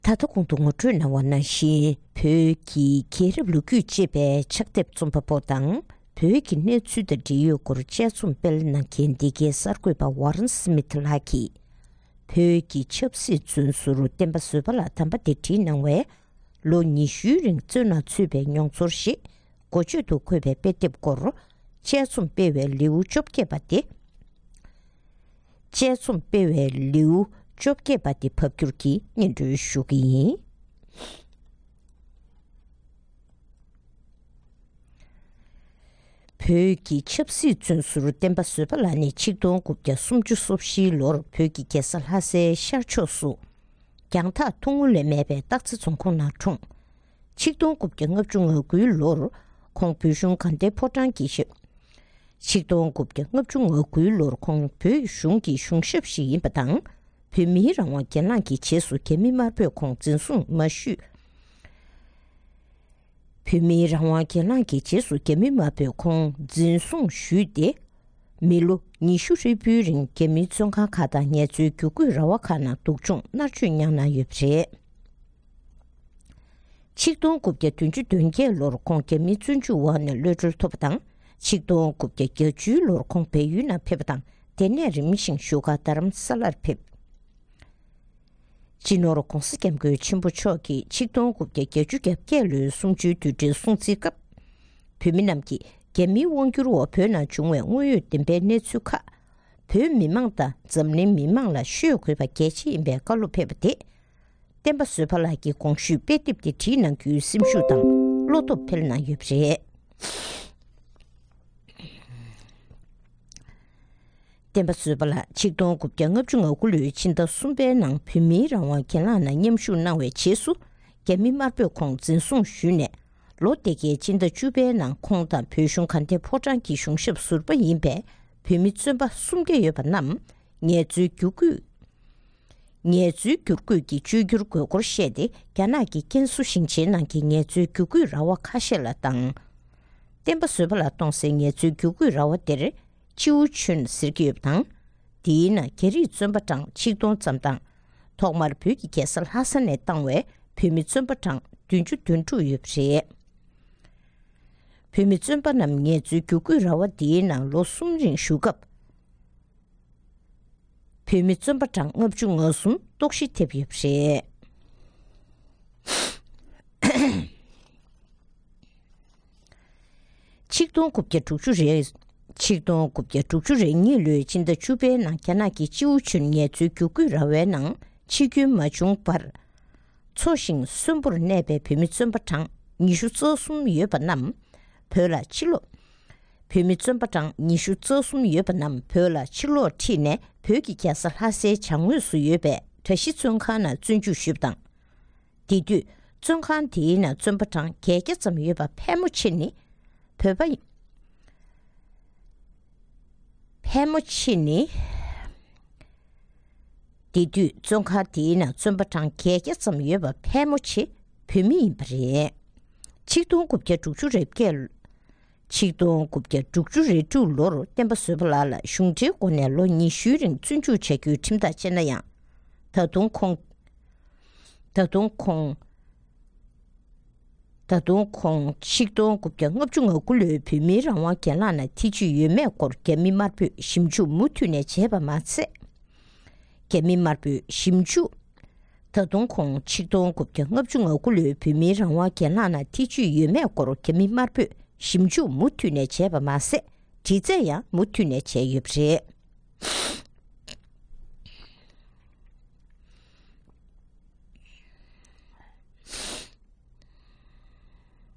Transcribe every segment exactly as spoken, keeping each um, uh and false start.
ད་ལྟ་གོང་དུ་ངོ་སྤྲོད་གནང་བ་ནང་བཞིན། བོད་ཀྱི་རྒྱལ་རབས་ལོ་རྒྱུས་ཅེས་པའི་ཕྱག་དེབ་རྩོམ་པ་པོ་དང་། བོད་ཀྱི་གནས་ཚུལ་དང་འབྲེལ་ཡོད་སྐོར་དཔྱད་རྩོམ་སྤེལ་གནང་མཁན་འདི་གའི་གསར་འགོད་པ་ཝཱ་རན་སི་མི་ཐི་ལགས་ཀྱིས། བོད་ཀྱི་ཆབ་སྲིད་བཙོན་ཟུར་བསྟན་པ་བཟོད་པ་ལགས་དམ་པ་དེ་བྲིས་གནང་བའི་ལོ་ཉི་ཤུའི་རིང་བཙོན་ནང་ཚུད་པའི་མྱོང་ཚོར་ཞེས་འགོ་བརྗོད་དུ་འཁོད་པའི་དཔེ་དེབ་སྐོར་དཔྱད་རྩོམ་སྤེལ་བའི་ལེའུ་བཅོ་བརྒྱད་པ་སྟེ། དཔྱད་རྩོམ་སྤེལ་བའི་ལེའུ་བཅོ་བརྒྱད་པ་དེ་ཕབ་བསྒྱུར་གྱིས་སྙན་སྒྲོན་ཞུ་གི་ཡིན། བོད་ཀྱི་ཆབ་སྲིད་བཙོན་ཟུར་བསྟན་པ་བཟོད་པ་ལགས་ནི་ཆིག་སྟོང་དགུ་བརྒྱ་སུམ་ཅུ་སོ་བཞིའི་ལོར་བོད་ཀྱི་རྒྱལ་ས་ལྷ་སའི་ཤར་ཕྱོགས་སུ། རྒྱང་ཐག་ཐུང་ངུ་ལས་མེད་པའི་སྟག་རྩེ་རྫོང་ཁོངས་ནང་འཁྲུངས། ཆིག་སྟོང་དགུ་བརྒྱ་ལྔ་བཅུ་ང་དགུའི་ལོར་ཁོང་བོད་གཞུང་དགའ་ལྡན་ཕོ་བྲང་གི་ཞབས། ཆིག་སྟོང་དགུ་བརྒྱ་ལྔ་བཅུ་ང་དགུའི་ལོར་ཁོང་བོད་གཞུང་གི་གཞུང་ཞབས་ཤིག་ཡིན་པ་དང་། བོད་མིའི་རང་དབང་གྱེན་ལངས་ཀྱི་རྗེས་སུ་རྒྱ་མི་དམར་པོས་ཁོང་འཛིན་བཟུང་མ་ཞུས། བོད་མིའི་རང་དབང་གྱེན་ལངས་ཀྱི་རྗེས་སུ་རྒྱ་མི་དམར་པོས་ཁོང་འཛིན་བཟུང་ཞུས་ཏེ། མི་ལོ་ཉི་ཤུ་ཧྲིལ་པོའི་རིང་རྒྱ་མིའི་བཙོན་ཁང་ཁག་དང་ངལ་རྩོལ་བསྒྱུར་བཀོད་ར་བ་ཁག་ནང་སྡུག་སྦྱོང་མནར་གཅོད་མྱངས་གནང་ཡོད་པ་རེད། ཆིག་སྟོང་དགུ་བརྒྱ་བདུན་ཅུ་དོན་བརྒྱད་ལོར་ཁོང་རྒྱ་མིའི་བཙོན་འཇུག་འོག་ནས་གློད་གྲོལ་ཐོབ་པ་དང་། ཆིག་སྟོང་དགུ་བརྒྱ་བརྒྱད་ཅུའི་ལོར་ཁོང་བལ་ཡུལ་ནང་ཕེབས་པ་དང་། དེ་ནས་རིམ་བཞིན་བཞུགས་སྒར་རྡ་རམ་ས་ལར་ཕེབས། སྤྱི་ནོར་༧གོང་ས་༧སྐྱབས་མགོན་ཆེན་པོ་མཆོག་གིས་ཆིག་སྟོང་དགུ་བརྒྱ་བརྒྱད་ཅུ་གྱ་བརྒྱད་ལོའི་གསུམ་བཅུའི་དུས་དྲན་སྲུང་བརྩིའི་སྐབས། བོད་མི་རྣམས་ཀྱིས་རྒྱ་མིའི་དབང་བསྒྱུར་འོག་བོད་ནང་བྱུང་བའི་དངོས་ཡོད་བདེན་པའི་གནས་ཚུལ་ཁག་བོད་མི་མང་དང་འཛམ་གླིང་མི་མང་ལ་ཤོད་དགོས་པ་གལ་ཆེ་ཡིན་པའི་བཀའ་སློབ་ཕེབས་པ་དེ། བསྟན་པ་བཟོད་པ་ལགས་ཀྱིས་གོང་ཞུས་དཔེ་དེབ་དེ་བྲིས་གནང་རྒྱུའི་སེམས་ཤུགས་དང་བློ་སྟོབས་འཕེལ་གནང་ཡོད་པ་རེད། བསྟན་པ་བཟོད་པ་ལགས་ཆིག་སྟོང་དགུ་བརྒྱ་ལྔ་བཅུ་ང་དགུ་ལོའི་ཕྱི་ཟླ་གསུམ་པའི་ནང་བོད་མིའི་རང་དབང་གྱེན་ལངས་ནང་མཉམ་ཞུགས་གནང་བའི་རྗེས་སུ། རྒྱ་མི་དམར་པོས་ཁོང་འཛིན་བཟུང་ཞུས་ནས། ལོ་དེ་གའི་སྤྱི་ཟླ་བཅུ་པའི་ནང་ཁོང་དང་བོད་གཞུང་དགའ་ལྡན་ཕོ་བྲང་གི་གཞུང་ཞབས་ཟུར་པ་ཡིན་པའི་བོད་མི་བཙོན་པ་སུམ་བརྒྱ་ཡོད་པ་རྣམས་ངལ་རྩོལ་བསྒྱུར་བཀོད། ངལ་རྩོལ་བསྒྱུར་བཀོད་ཀྱི་བཅོས་བསྒྱུར་དགོས་སྐོར་བཤད་དེ། རྒྱ་ནག་གི་ཀན་སུའུ་ཞིང་ཆེན་ནང་གི་ངལ་རྩོལ་བསྒྱུར་བཀོད་ར་བ་ཁ་ཤས་ལ་བཏང་། བསྟན་པ་བཟོད་པ་ལགས་གཏོང་སའི་ངལ་རྩོལ་བསྒྱུར་བཀོད་ར་བ་དེར་ཅིའུ་ཆོན་ཟེར་གྱི་ཡོད་པ་དང་། དེའི་ནང་རྒྱ་རིགས་བཙོན་པ་གྲངས་ཆིག་སྟོང་ཙམ་དང་། ཐོག་མར་བོད་ཀྱི་རྒྱལ་ས་ལྷ་ས་ནས་བཏང་བའི་བོད་མི་བཙོན་པ་གྲངས་བདུན་ཅུ་དོན་དྲུག་ཡོད་པ་རེད། བོད་མི་བཙོན་པ་རྣམས་ངལ་རྩོལ་བསྒྱུར་བཀོད་ར་བ་དེའི་ནང་ལོ་གསུམ་རིང་བཞུགས་སྐབས། བོད་མི་བཙོན་པ་གྲངས་ལྔ་བཅུ་ང་གསུམ་ལྟོགས་ཤི་ཐེབས་ཡོད་པ་རེད། ཆིག་སྟོང་དགུ་བརྒྱ་དྲུག་ཅུ་རེ། ཆིག་སྟོང་དགུ་བརྒྱ་དྲུག་ཅུ་རེ་གཉིས་ལོའི་ཕྱི་ཟླ་བཅུ་པའི་ནང་རྒྱ་ནག་གི་ཅིའུ་ཆུན་ངལ་རྩོལ་བསྒྱུར་བཀོད་ར་བའི་ནང་འཆི་སྐྱོན་མ་བྱུང་བར། འཚོ་ཞིང་གསོན་པོར་གནས་པའི་བོད་མི་བཙོན་པ་གྲངས་ཉི་ཤུ་རྩ་གསུམ་ཡོད་པ་རྣམས་བོད་ལ་ཕྱིར་ལོག་བོད་མི་བཙོན་པ་གྲངས་ཉི་ཤུ་རྩ་གསུམ་ཡོད་པ་རྣམས་བོད་ལ་ཕྱིར་ལོག་ཁྲིད་ནས་བོད་ཀྱི་རྒྱལ་ས་ལྷ་སའི་བྱང་ངོས་སུ་ཡོད་པའི་གྲྭ་བཞི་བཙོན་ཁང་ནང་བཙོན་འཇུག་ཞུས་པ་དང་། དེ་དུས་བཙོན་ཁང་དེའི་ནང་བཙོན་པ་གྲངས་བརྒྱད་བརྒྱ་ཙམ་ཡོད་པ་ཕལ་མོ་ཆེ་ནི། བོད་པ་ཡིན། ཕལ་མོ་ཆེ་ནི། དེ་དུས་བཙོན་ཁང་དེའི་ནང་བཙོན་པ་གྲངས་བརྒྱད་བརྒྱ་ཙམ་ཡོད་པ་ཕལ་མོ་ཆེ་བོད་མི་ཡིན་པ་རེད། ཆིག་སྟོང་དགུ་བརྒྱ་དྲུག་ཅུ་རེ་བརྒྱད། ཆིག་སྟོང་དགུ་བརྒྱ་དྲུག་ཅུ་རེ་དྲུག་ལོར་བསྟན་པ་བཟོད་པ་ལགས་ལ་གཞུང་འབྲེལ་སྒོ་ནས་ལོ་ཉི་ཤུའི་རིང་བཙོན་འཇུག་བྱ་རྒྱུའི་ཁྲིམས་ཐག་བཅད་ན་ཡང་། ད་དུང་ཁོང་། ད་དུང་ཁོང་། ད་དུང་ཁོང་ཆིག་སྟོང་དགུ་བརྒྱ་ལྔ་བཅུ་ང་དགུ་ལོའི་བོད་མིའི་རང་དབང་གྱེན་ལངས་ནང་ཐེ་བྱུས་ཡོད་མེད་སྐོར་རྒྱ་མི་དམར་པོས་ཞིབ་འཇུག་མུ་མཐུད་ནས་བྱས་པ་མ་ཟད། རྒྱ་མི་དམར་པོས་ཞིབ་འཇུག་ད་དུང་ཁོང་ཆིག་སྟོང་དགུ་བརྒྱ་ལྔ་བཅུ་ང་དགུ་ལོའི་བོད་མིའི་རང་དབང་གྱེན་ལངས་ནང་ཐེ་བྱུས་ཡོད་མེད་སྐོར་རྒྱ་མི་དམར་པོས་ཞིབ་འཇུག་མུ་མཐུད་ནས་བྱས་པ་མ་ཟད། དྲི་རྩད་ཡང་མུ་མཐུད་ནས་བྱས་ཡོད་པ་རེད།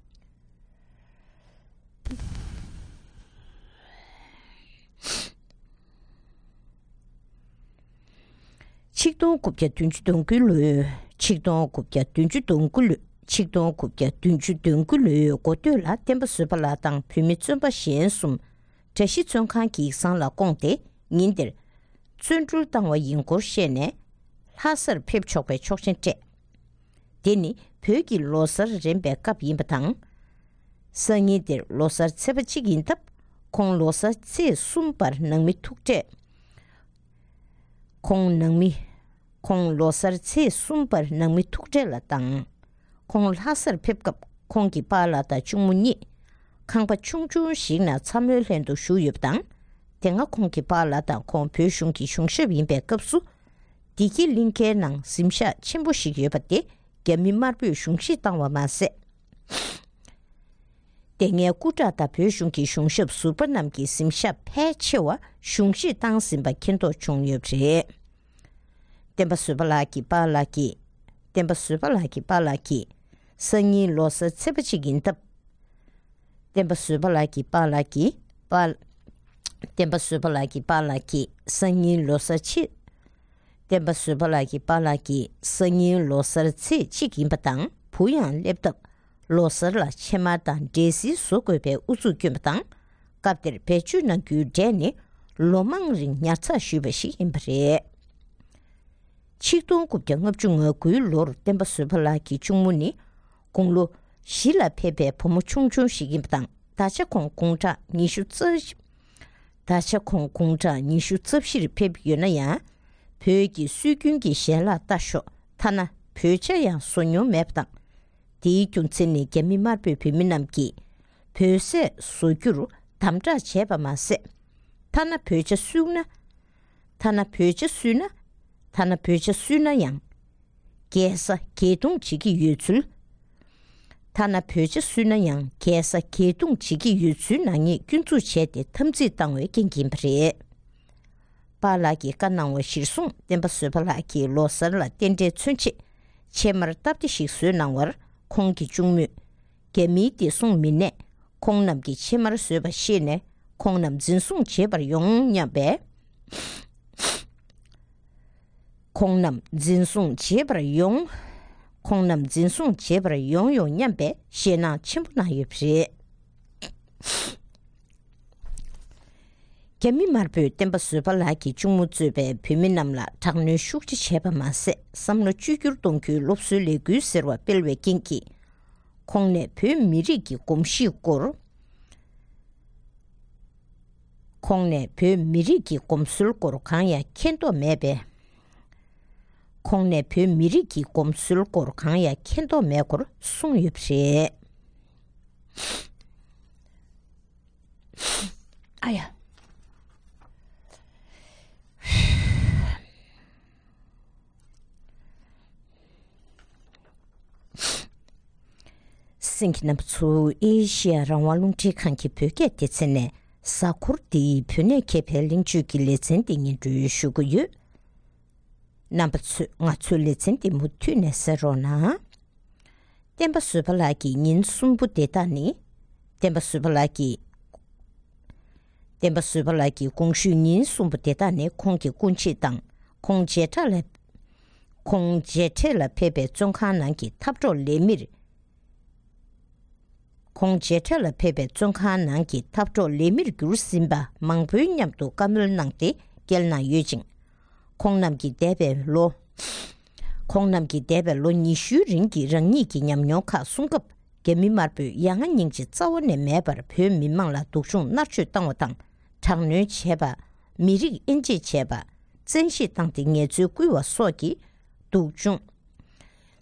ཆིག་སྟོང་དགུ་བརྒྱ་བདུན་ཅུ་དོན་དགུ་ལོའི། ཆིག་སྟོང་དགུ་བརྒྱ་བདུན་ཅུ་དོན་དགུ་ལོའི། ཆིག་སྟོང་དགུ་བརྒྱ་བདུན་ཅུ་དོན་དགུ་ལོའི་འགོ་སྟོད་ལ་བསྟན་པ་བཟོད་པ་ལགས་དང་བོད་མི་བཙོན་པ་གཞན་གསུམ་གྲྭ་བཞི་བཙོན་ཁང་གི་ཡིག་ཚང་ལ་བསྐོངས་ཏེ། ཉིན་དེར་བཙོན་གྲོལ་བཏང་བ་ཡིན་སྐོར་བཤད་ནས། ལྷ་སར་ཕེབས་ཆོག་པའི་ཆོག་མཆན་སྤྲད། དེ་ནི་བོད་ཀྱི་ལོ་གསར་རན་པའི་སྐབས་ཡིན་པ་དང་། སང་ཉིན་དེར་ལོ་གསར་ཚེས་པ་གཅིག་ཡིན་སྟབས། ཁོང་ལོ་གསར་ཚེས་གསུམ་པར་ནང་མི་ཐུག་འཕྲད། ཁོང་ནང་མི། ཁོང་ལོ་གསར་ཚེས་གསུམ་པར་ནང་མི་ཐུག་འཕྲད་ལ་བཏང་། ཁོང་ལྷ་སར་ཕེབས་སྐབས་ཁོང་གི་པཱ་ལགས་དང་གཅུང་མོ་གཉིས་ཁང་པ་ཆུང་ཆུང་ཞིག་ནང་ཚ་མོའི་ལྷན་དུ་བཞུགས་ཡོད་པ་དང་། དེ་སྔ་ཁོང་གི་པཱ་ལགས་དང་ཁོང་བོད་གཞུང་གི་གཞུང་ཞབས་ཡིན་པའི་སྐབས་སུ། བདེ་སྐྱིད་གླིང་ཁའི་ནང་གཟིམ་ཤག་ཆེན་པོ་ཞིག་ཡོད་པ་དེ་རྒྱ་མི་དམར་པོས་གཞུང་བཞེས་བཏང་བ་མ་ཟད། དེ་སྔའི་སྐུ་དྲག་དང་བོད་གཞུང་གི་གཞུང་ཞབས་ཟུར་པ་རྣམས་ཀྱི་གཟིམ་ཤག་ཕལ་ཆེ་བ་གཞུང་བཞེས་བཏང་ཟིན་པ་མཁྱེན་རྟོགས་བྱུང་ཡོད་པ་རེད། བསྟན་པ་བཟོད་པ་ལགས་ཀྱི་པཱ་ལགས་ཀྱིས། བསྟན་པ་བཟོད་པ་ལགས་ཀྱི་པཱ་ལགས་ཀྱིས་སང་ཉིན་ལོ་གསར་ཚེས་པ་གཅིག་ཡིན་སྟབས། བསྟན་པ་བཟོད་པ་ལགས་ཀྱི་པཱ་ལགས་ཀྱིས་པཱ། བསྟན་པ་བཟོད་པ་ལགས་ཀྱི་པཱ་ལགས་ཀྱིས་སང་ཉིན་ལོ་གསར་ཆེད། བསྟན་པ་བཟོད་པ་ལགས་ཀྱི་པཱ་ལགས་ཀྱིས་སང་ཉིན་ལོ་གསར་ཚེས་གཅིག་ཡིན་པ་དང་བུ་ཡང་སླེབས་སྟབས། ལོ་གསར་ལ་ཕྱེ་མར་དང་འབྲས་སིལ་བཟོ་དགོས་པའི་ཨུ་ཚུགས་བསྐྱོན་པ་དང་། སྐབས་དེར་བེད་སྤྱོད་གནང་རྒྱུའི་གྲས་ནི་ལོ་མང་རིང་ཉར་ཚགས་ཞུས་པ་ཞིག་ཡིན་པ་རེད། ཆིག་སྟོང་དགུ་བརྒྱ་ལྔ་བཅུ་ང་དགུའི་ལོར་བསྟན་པ་བཟོད་པ་ལགས་ཀྱི་གཅུང་མོ་ནི་དགུང་ལོ་བཞི་ལ་ཕེབས་པའི་བུ་མོ་ཆུང་ཆུང་ཞིག་ཡིན་པ་དང་། ད་ཆ་ཁོང་དགུང་གྲངས་ཉི་ཤུ་རྩ། ད་ཆ་ཁོང་དགུང་གྲངས་ཉི་ཤུ་རྩ་བཞིར་ཕེབས་ཡོད་ན་ཡང་། བོད་ཀྱི་སྲོལ་རྒྱུན་གྱི་ཞལ་ལག་ལྟ་ཞོག་ཐ་ན་བོད་ཇ་ཡང་བཟོ་མྱོང་མེད་པ་དང་། དེའི་རྒྱུ་མཚན་ནི་རྒྱ་མི་དམར་པོས་བོད་མི་རྣམས་ཀྱིས་བོད་ཟས་བཟོ་རྒྱུར་དམ་དྲག་བྱས་པ་མ་ཟད། ཐ་ན་བོད་ཇ་བསྲུབས་ན། ཐ་ན་བོད་ཇ་བསྲུབས་ན། ཐ་ན་བོད་ཇ་བསྲུབས་ན་ཡང་། རྒྱལ་ས་རྒྱས་གཏོང་བྱེད་ཀྱི་ཡོད་ཚུལ། ཐ་ན་བོད་ཇ་བསྲུབས་ན་ཡང་རྒྱལ་ས་རྒྱས་གཏོང་བྱེད་ཀྱི་ཡོད་ཚུལ་ནག་ཉེས་སྐྱོན་འཛུགས་བྱས་ཏེ་འཐབ་འཛིང་བཏང་བའི་རྐྱེན་གྱིས་ཡིན་པ་རེད། པཱ་ལགས་ཀྱིས་བཀའ་གནང་བ་གཞིར་བཟུང་བསྟན་པ་བཟོད་པ་ལགས་ཀྱིས་ལོ་གསར་ལ་རྟེན་འབྲེལ་མཚོན་ཆེད་ཕྱེ་མར་སྟབས་བདེ་ཞིག་བཟོས་གནང་བར། ཁོང་གི་གཅུང་མོས་རྒྱ་མིའི་བདེ་སྲུང་མི་སྣས་ཁོང་རྣམས་ཀྱིས་ཕྱེ་མར་བཟོས་པ་ཤེས་ནས་ཁོང་རྣམས་འཛིན་བཟུང་བྱེད་པར་ཡོང་སྙམ་པས། ཁོང་རྣམས་འཛིན་བཟུང་བྱེད་པར་ཡོང་། ཁོང་རྣམས་འཛིན་བཟུང་བྱེད་པར་ཡོང་ཡོང་སྙམ་པའི་ཞེད་སྣང་ཆེན་པོ་གནང་ཡོད་པ་རེད། རྒྱ་མི་དམར་པོས་བསྟན་པ་བཟོད་པ་ལགས་ཀྱི་གཅུང་མོ་གཙོས་པའི་བོད་མི་རྣམས་ལ་དྲག་གནོན་ཤུགས་ཆེ་བྱས་པ་མ་ཟད། བསམ་བློ་བཅོས་བསྒྱུར་གཏོང་རྒྱུའི་སློབ་གསོའི་ལས་འགུལ་ཟེར་བ་སྤེལ་བའི་རྐྱེན་གྱིས། ཁོང་ནས་བོད་མི་རིགས་ཀྱི་གོམས་གཤིས་སྐོར། ཁོང་ནས་བོད་མི་རིགས་ཀྱི་གོམས་སྲོལ་སྐོར་གང་ཡང་མཁྱེན་རྟོགས་མེད་པས། ཁོང་ནས་བོད་མི་རིགས་ཀྱི་གོམས་སྲོལ་སྐོར་གང་ཡང་མཁྱེན་རྟོགས་མེད་སྐོར་གསུངས་ཡོད་པ་རེད། ཨ་ཡ། གསན་མཁན་རྣམ་པ་ཚོ། ཨེ་ཤེ་ཡ་རང་དབང་རླུང་འཕྲིན་ཁང་གི་བོད་སྐད་སྡེ་ཚན་ནས་གཟའ་འཁོར་འདིའི་བོད་གནས་མཁས་པའི་གླེང་བརྗོད་ཀྱི་ལེ་ཚན་འདི་སྙན་སྒྲོན་ཞུ་གི་ཡོད། རྣམ་པ་ཚོས་ང་ཚོའི་ལེ་ཚན་འདི་མུ་མཐུད་ནས་གསན་རོགས་གནང་། བསྟན་པ་བཟོད་པ་ལགས་ཀྱི་ཉིན་གསུམ་པོ་དེ་དག་ནི། བསྟན་པ་བཟོད་པ་ལགས་ཀྱི། བསྟན་པ་བཟོད་པ་ལགས་ཀྱི་དགོངས་ཞུའི་ཉིན་གསུམ་པོ་དེ་དག་ནི་ཁོང་གི་སྐུ་མཆེད་དང་ཁོང་མཇལ་འཕྲད་ལ། ཁོང་མཇལ་འཕྲད་ལ་ཕེབས་པའི་བཙོན་ཁང་ནང་གི་འཐབ་གྲོགས་ལས་མིར། ཁོང་མཇལ་འཕྲད་ལ་ཕེབས་པའི་བཙོན་ཁང་ནང་གི་འཐབ་གྲོགས་ལས་མིར་གྱུར་ཟིན་པ་མང་པོའི་མཉམ་དུ་བཀའ་མོལ་གནང་སྟེ་སྐྱེལ་གནང་ཡོད་ཅིང་། ཁོང་རྣམས་ཀྱིས་འདས་པའི་ལོ། ཁོང་རྣམས་ཀྱིས་འདས་པའི་ལོ་ཉི་ཤུའི་རིང་གི་རང་ཉིད་ཀྱི་ཉམས་མྱོང་ཁག་གསུང་སྐབས། རྒྱ་མི་དམར་པོས་ཡ་ང་སྙིང་རྗེ་རྩ་བ་ནས་མེད་པར་བོད་མི་མང་ལ་སྡུག་སྦྱོང་མནར་གཅོད་བཏང་བ་དང་། དྲག་གནོན་བྱས་པ། མི་རིགས་དབྱེ་འབྱེད་བྱས་པ། བཙན་ཤེད་བཏང་སྟེ་ངལ་རྩོལ་བསྐུལ་བ་སོགས་ཀྱི་སྡུག་སྦྱོང་།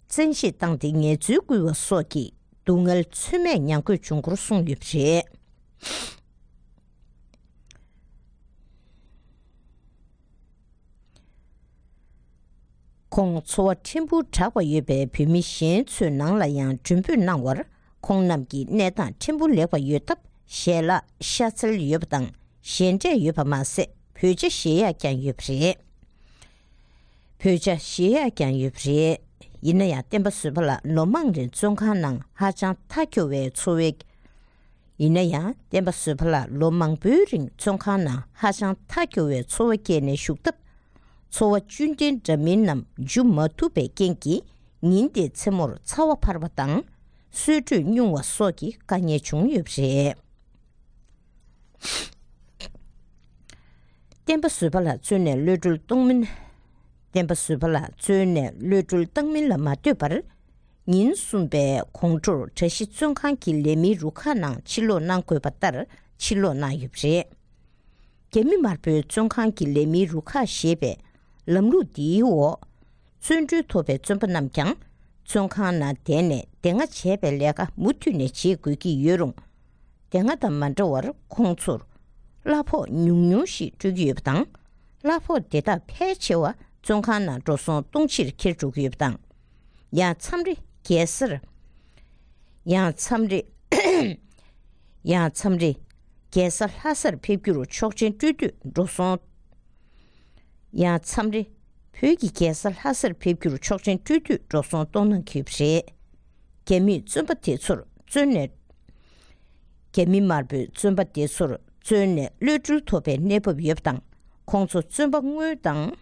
བཙན་ཤེད་བཏང་སྟེ་ངལ་རྩོལ་བསྐུལ་བ་སོགས་ཀྱི་སྡུག་བསྔལ་ཚོད་མེད་མྱང་དགོས་བྱུང་སྐོར་གསུངས་ཡོད་པ་རེད། ཁོང་འཚོ་བ་ཕྲན་བུ་དྲག་པ་ཡོད་པའི་བོད་མི་གཞན་ཚོའི་ནང་ལ་ཡང་མགྲོན་འབོད་གནང་བར། ཁོང་རྣམས་ཀྱི་གནས་སྟངས་ཕྲན་བུ་ལེགས་པ་ཡོད་སྟབས། ཞལ་ལག་ཤ་ཚལ་ཡོད་པ་དང་ཞལ་འབྲས་ཡོད་པ་མ་ཟད། བོད་ཇ་བཞེས་ཡག་ཀྱང་ཡོད་པ་རེད། བོད་ཇ་བཞེས་ཡག་ཀྱང་ཡོད་པ་རེད། ཡིན་ན་ཡང་། བསྟན་པ་བཟོད་པ་ལགས་ལོ་མང་རིང་བཙོན་ཁང་ནང་ཧ་ཅང་མཐའ་འཁྱོལ་བའི་འཚོ་བའི། ཡིན་ན་ཡང་། བསྟན་པ་བཟོད་པ་ལགས་ལོ་མང་པོའི་རིང་བཙོན་ཁང་ནང་ཧ་ཅང་མཐའ་འཁྱོལ་བའི་འཚོ་བ་བསྐྱལ་ནས་བཞུགས་སྟབས། འཚོ་བ་བཅུད་ལྡན་འདྲ་མིན་རྣམས་འཇུ་མ་ཐུབ་པའི་རྐྱེན་གྱིས། ཉིན་དེའི་མཚན་མོར་ཚ་བ་འཕར་བ་དང་། གསོལ་དྲོད་སྙུང་བ་སོགས་ཀྱི་དཀའ་ངལ་བྱུང་ཡོད་པ་རེད། བསྟན་པ་བཟོད་པ་ལགས་བཙོན་ནས་གློད་གྲོལ་གཏོང་མིན། བསྟན་པ་བཟོད་པ་ལགས་བཙོན་ནས་གློད་གྲོལ་བཏང་མིན་ལ་མ་ལྟོས་པར། ཉིན་གསུམ་པའི་དགོང་དྲོར་གྲྭ་བཞི་བཙོན་ཁང་གི་ལས་མིའི་རུ་ཁག་ནང་ཕྱིར་ལོག་གནང་དགོས་པ་ལྟར་ཕྱིར་ལོག་གནང་ཡོད་པ་རེད། རྒྱ་མི་དམར་པོའི་བཙོན་ཁང་གི་ལས་མིའི་རུ་ཁག་ཞེས་པའི་ལམ་ལུགས་འདིའི་འོག་བརྩོན་འགྲུས་ཐོབ་པའི་བཙོན་པ་རྣམས་ཀྱང་བཙོན་ཁང་ནང་བསྡད་ནས་དེ་སྔ་བྱས་པའི་ལས་ཀ་མུ་མཐུད་ནས་བྱེད་དགོས་ཀྱི་ཡོད་རུང་། དེ་སྔ་དང་མ་འདྲ་བར་ཁོང་ཚོར་གླ་ཕོགས་ཉུང་ཉུང་ཞིག་སྤྲོད་ཀྱི་ཡོད་པ་དང་། གླ་ཕོགས་དེ་དག་ཕལ་ཆེ་བ་བཙོན་ཁང་ནང་འགྲོ་སོང་གཏོང་ཕྱིར་འཁྱེར་འགྲོ་གི་ཡོད་པ་དང་། ཡང་མཚམས་རེ་རྒྱལ་སར། ཡང་མཚམས་རེ། ཡང་མཚམས་རེ་རྒྱལ་ས་ལྷ་སར་ཕེབས་རྒྱུར་ཆོག་མཆན་སྤྲོད་དུས་འགྲོ་སོང་། ཡང་མཚམས་རེ་བོད་ཀྱི་རྒྱལ་ས་ལྷ་སར་ཕེབས་རྒྱུར་ཆོག་མཆན་སྤྲོད་དུས་འགྲོ་སོང་གཏོང་གནང་གི་ཡོད་པ་རེད། རྒྱ་མིས་བཙོན་པ་དེ་ཚོར་བཙོན་ནས། རྒྱ་མི་དམར་པོས་བཙོན་པ་དེ་ཚོར་བཙོན་ནས་གློད་གྲོལ་ཐོབ་པའི་གནས་བབ་ཡོད་པ་དང་། ཁོང་ཚོ་བཙོན་པ་དངོས་དང་།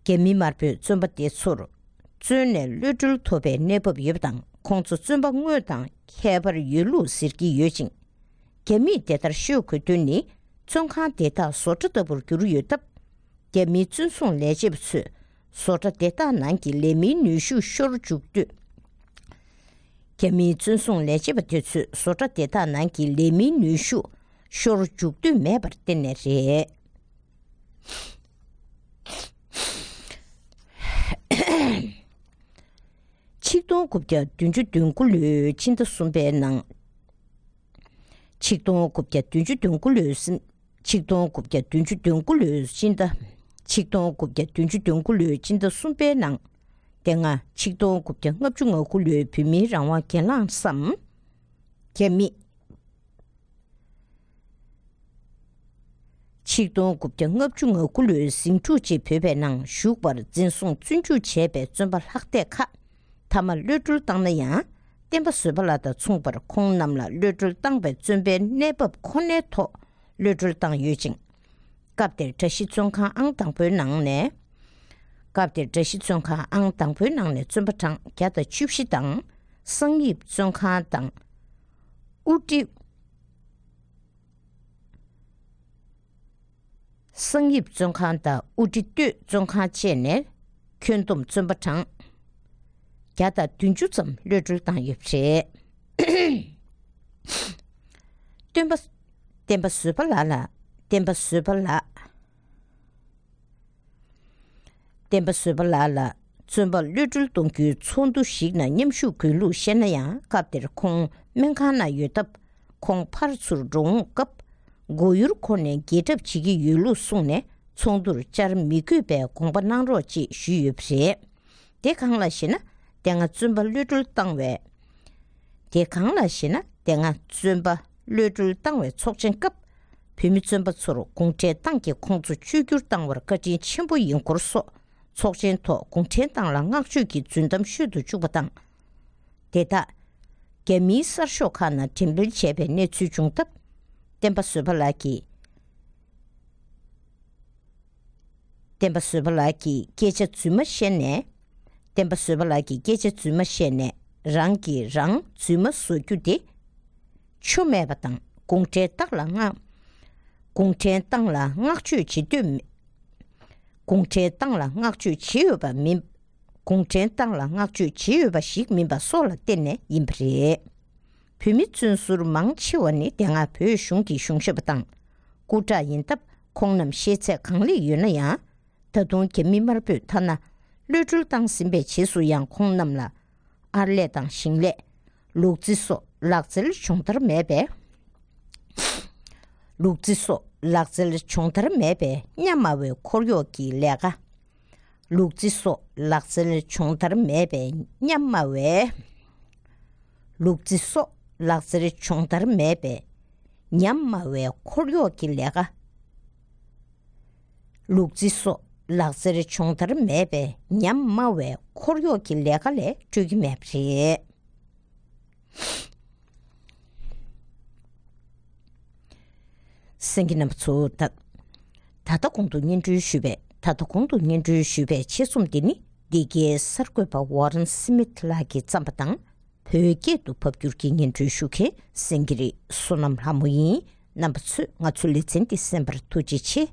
རྒྱ་མི་དམར་པོས་བཙོན་པ་དེ་ཚོར་བཙོན་ནས་གློད་གྲོལ་ཐོབ་པའི་གནས་བབ་ཡོད་པ་དང་། ཁོང་ཚོ་བཙོན་པ་དངོས་དང་ཁྱད་པར་ཡོད་ལུགས་ཟེར་གྱི་ཡོད་ཅིང་། རྒྱ་མིས་དེ་ལྟར་ཤོད་དགོས་དོན་ནི། བཙོན་ཁང་དེ་དག་བཟོ་གྲྭ་ལྟ་བུར་གྱུར་ཡོད་སྟབས། རྒྱ་མིའི་བཙོན་སྲུང་ལས་བྱེད་པ་ཚོས་བཟོ་གྲྭ་དེ་དག་ནང་གི་ལས་མིའི་ནུས་ཤུགས་ཤོར་འཇུག་དུས། རྒྱ་མིའི་བཙོན་སྲུང་ལས་བྱེད་པ་དེ་ཚོས་བཟོ་གྲྭ་དེ་དག་ནང་གི་ལས་མིའི་ནུས་ཤུགས་ཤོར་འཇུག་འདོད་མེད་པར་བརྟེན་ནས་རེད། ཆིག་སྟོང་དགུ་བརྒྱ་བདུན་ཅུ་དོན་དགུ་ལོའི་ཕྱི་ཟླ་གསུམ་པའི་ནང་། ཆིག་སྟོང་དགུ་བརྒྱ་བདུན་ཅུ་དོན་དགུ་ལོའི་ཟིན། ཆིག་སྟོང་དགུ་བརྒྱ་བདུན་ཅུ་དོན་དགུ་ལོའི་ཕྱི་ཟླ། ཆིག་སྟོང་དགུ་བརྒྱ་བདུན་ཅུ་དོན་དགུ་ལོའི་ཕྱི་ཟླ་གསུམ་པའི་ནང་། དེ་སྔ་ཆིག་སྟོང་དགུ་བརྒྱ་ལྔ་བཅུ་ང་དགུ་ལོའི་བོད་མིའི་རང་དབང་གྱེན་ལངས་སམ། རྒྱ་མི། ཆིག་སྟོང་དགུ་བརྒྱ་ལྔ་བཅུ་ང་དགུ་ལོའི་ཟིང་འཁྲུག་རྗེས་བོད་པའི་ནང་ཞུགས་པར་འཛིན་བཟུང་བཙོན་འཇུག་བྱས་པའི་བཙོན་པ་ལྷག་བསྡད་ཁག་མཐའ་མ་གློད་གྲོལ་བཏང་ན་ཡང་། བསྟན་པ་བཟོད་པ་ལགས་དང་མཚུངས་པར་ཁོང་རྣམས་ལ་གློད་གྲོལ་བཏང་བའི་བཙོན་པའི་གནས་བབ་ཁོ་ནའི་ཐོག་གློད་གྲོལ་བཏང་ཡོད་ཅིང་། སྐབས་དེར་གྲྭ་བཞི་བཙོན་ཁང་ཨང་དང་པོའི་ནང་ནས། སྐབས་དེར་གྲྭ་བཞི་བཙོན་ཁང་ཨང་དང་པོའི་ནང་ནས་བཙོན་པ་གྲངས་བརྒྱ་དང་བཅུ་བཞི་དང་། གསང་ཡིབ་བཙོན་ཁང་དང་། དབུ་ཁྲིད། གསང་ཡིབ་བཙོན་ཁང་དང་དབུ་ཁྲིད་སྟོད་བཙོན་ཁང་བཅས་ནས་ཁྱོན་བསྡོམས་བཙོན་པ་གྲངས་བརྒྱ་དང་བདུན་ཅུ་ཙམ་གློད་གྲོལ་བཏང་ཡོད་པ་རེད། སྟོན་པ། བསྟན་པ་བཟོད་པ་ལགས་ལ། བསྟན་པ་བཟོད་པ་ལགས། བསྟན་པ་བཟོད་པ་ལགས་ལ་བཙོན་པ་གློད་གྲོལ་གཏོང་རྒྱུའི་ཚོགས་འདུ་ཞིག་ནང་མཉམ་ཞུགས་དགོས་ལུགས་བཤད་ན་ཡང་། སྐབས་དེར་ཁོང་སྨན་ཁང་ན་ཡོད་སྟབས། ཁོང་ཕར་ཚུར་འགྲོ་འོང་སྐབས་མགོ་ཡུར་འཁོར་ནས་འགྱེལ་གྲབས་བྱེད་ཀྱི་ཡོད་ལུགས་གསུངས་ནས། ཚོགས་འདུར་བཅར་མི་དགོས་པའི་དགོངས་པ་གནང་རོགས་ཅེས་ཞུས་ཡོད་པ་རེད། དེ་གང་ལགས་ཤེ་ན། དེ་སྔ་བཙོན་པ་གློད་གྲོལ་བཏང་བའི། དེ་གང་ལགས་ཤེ་ན། དེ་སྔ་བཙོན་པ་གློད་གྲོལ་བཏང་བའི་ཚོགས་ཆེན་སྐབས། བོད་མི་བཙོན་པ་ཚོར་གུང་ཁྲན་ཏང་གིས་ཁོང་ཚོ་བཅོས་བསྒྱུར་བཏང་བར་བཀའ་དྲིན་ཆེན་པོ་ཡིན་སྐོར་སོགས། ཚོགས་ཆེན་ཐོག་གུང་ཁྲན་ཏང་ལ་བསྔགས་བརྗོད་ཀྱི་རྫུན་གཏམ་ཤོད་དུ་བཅུག་པ་དང་། དེ་དག་རྒྱ་མིའི་གསར་ཤོག་ཁག་ནང་འགྲེམས་སྤེལ་བྱས་པའི་གནས་ཚུལ་བྱུང་སྟབས། བསྟན་པ་བཟོད་པ་ལགས་ཀྱིས། བསྟན་པ་བཟོད་པ་ལགས་ཀྱིས་སྐད་ཆ་རྫུན་མ་བཤད་ནས། བསྟན་པ་བཟོད་པ་ལགས་ཀྱིས་སྐད་ཆ་རྫུན་མ་བཤད་ནས། རང་གིས་རང་རྫུན་མ་བཟོ་རྒྱུ་དེ་ཆོ་མེད་པ་དང་། གུང་ཁྲན་ཏང་ལ་བསྔགས། གུང་ཁྲན་ཏང་ལ་བསྔགས་བརྗོད་བྱེད་འདོད་མེད། གུང་ཁྲན་ཏང་ལ་བསྔགས་བརྗོད་བྱེད་འོས་པ་མིན། གུང་ཁྲན་ཏང་ལ་བསྔགས་བརྗོད་བྱེད་འོས་པ་ཞིག་མིན་པ་སོགས་ལ་བརྟེན་ནས་ཡིན་པ་རེད། བོད་མི་བཙོན་ཟུར་མང་ཆེ་བ་ནི་དེ་སྔ་བོད་གཞུང་གི་གཞུང་ཞབས་པ་དང་སྐུ་དྲག་ཡིན་སྟབས། ཁོང་རྣམས་ཤེས་ཚད་གང་ལེགས་ཡོད་ན་ཡང་། ད་དུང་རྒྱ་མི་དམར་པོས་ཐ་ན་གློད་གྲོལ་བཏང་ཟིན་པའི་རྗེས་སུ་ཡང་ཁོང་རྣམས་ལ་ཨར་ལས་དང་ཞིང་ལས། ལུག་རྫི་སོགས་ལག་རྩལ་སྦྱོང་བརྡར་མེད་པས། ལུག་རྫི་སོགས་ལག་རྩལ་སྦྱོང་བརྡར་མེད་པས་ཉམས་དམའ་བའི་འཁོར་གཡོག་གི་ལས་ཀ། ལུག་རྫི་སོགས་ལག་རྩལ་སྦྱོང་བརྡར་མེད་པས་ཉམས་དམའ་བའི། ལུག་རྫི་སོགས་ལག་རྩལ་སྦྱོང་བརྡར་མེད་པས་ཉམས་དམའ་བའི་འཁོར་གཡོག་གི་ལས་ཀ། ལུག་རྫི་སོགས་ལག་རྩལ་སྦྱོང་བརྡར་མེད་པས་ཉམས་དམའ་བའི་འཁོར་གཡོག་གི་ལས་ཀ་ལས་སྤྲོད་ཀྱི་མེད་པ་རེད། གསན་མཁན་རྣམ་པ་ཚོ། ད་ད་ལྟ་གོང་དུ་སྙན་སྒྲོན་ཞུས་པའི། ད་ལྟ་གོང་དུ་སྙན་སྒྲོན་ཞུས་པའི་ཆེད་རྩོམ་འདི་ནི་འདི་གའི་གསར་འགོད་པ་ཝོ་རན་སི་མིད་ལགས་ཀྱིས་བརྩམས་པ་དང་། བོད་སྐད་དུ་ཕབ་བསྒྱུར་གྱིས་སྙན་སྒྲོན་ཞུ་མཁན་སེང་གེ་རི་བསོད་ནམས་ལྷ་མོ་ཡིན། རྣམ་པ་ཚོས་ང་ཚོའི་ལེ་ཚན་འདི་གསན་པར་ཐུགས་རྗེ་ཆེ།